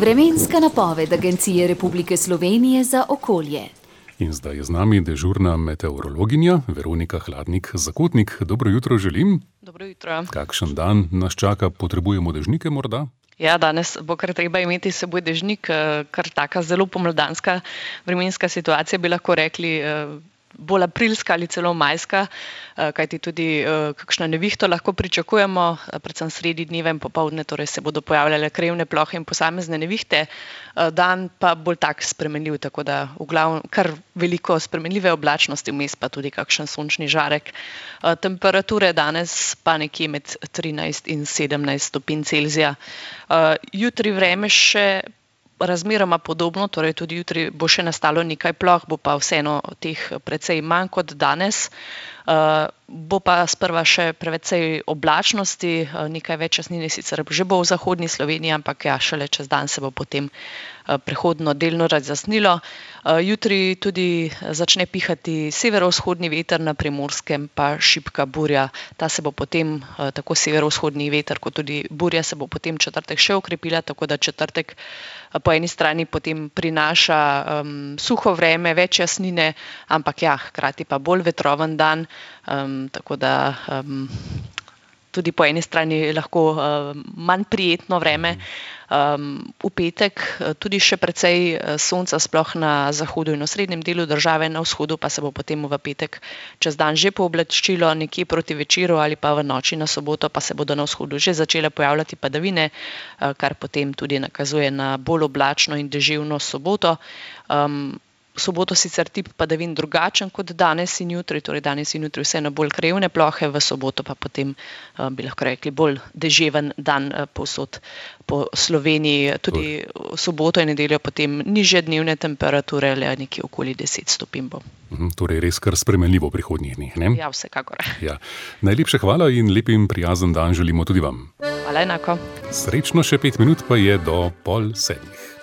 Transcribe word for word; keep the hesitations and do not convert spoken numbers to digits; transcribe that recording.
Vremenska napoved Agencije Republike Slovenije za okolje. In zdaj je z nami dežurna meteorologinja Veronika Hladnik-Zakotnik. Dobro jutro želim. Dobro jutro. Kakšen dan nas čaka? Potrebujemo dežnike morda? Ja, danes bo kar treba imeti s seboj dežnik, kar taka zelo pomladanska vremenska situacija, bi lahko rekli, bolj aprilska ali celo majska, kajti tudi kakšno nevihto lahko pričakujemo, predvsem sredi dneva in popoldne, torej se bodo pojavljale krajevne plohe in posamezne nevihte, dan pa bolj tak spremenljiv, tako da v glavnem kar veliko spremenljive oblačnosti, vmes pa tudi kakšen sončni žarek. Temperature danes pa nekje med trinajst in sedemnajst stopinj Celzija. Jutri vreme še razmeroma podobno, torej tudi jutri bo še nastalo nekaj ploh, bo pa vseeno teh precej manj kot danes. Uh, bo pa sprva še precej oblačnosti, uh, nekaj več jasnine sicer že bo v zahodni Sloveniji, ampak ja, šele čez dan se bo potem uh, prehodno delno razjasnilo. Uh, jutri tudi začne pihati severovzhodni veter, na Primorskem pa šibka burja. Ta se bo potem, uh, tako severovzhodni veter kot tudi burja, se bo potem četrtek še okrepila, tako da četrtek uh, po eni strani potem prinaša um, suho vreme, več jasnine, ampak ja, hkrati pa bolj vetroven dan. Um, tako da um, tudi po eni strani lahko um, manj prijetno vreme. Um, v petek tudi še precej sonca, sploh na zahodu in v srednjem delu države, na vzhodu pa se bo potem v petek čez dan že pooblačilo, nekje proti večeru ali pa v noči na soboto pa se bodo na vzhodu že začele pojavljati padavine, kar potem tudi nakazuje na bolj oblačno in deževno soboto. Um, V soboto sicer tip padavin drugačen kot danes in jutri, torej danes in jutri vseeno bolj krajevne plohe, v soboto pa potem, bi lahko rekli, bolj deževen dan povsod po Sloveniji. Tudi v soboto in nedeljo potem nižje dnevne temperature, le nekje okoli deset stopinj bo. Torej res kar spremenljivo v prihodnjih dneh, ne? Ja, vsekakor. Ja. Najlepša hvala in lep in prijazen dan želimo tudi vam. Hvala enako. Srečno, še pet minut pa je do pol sedmih.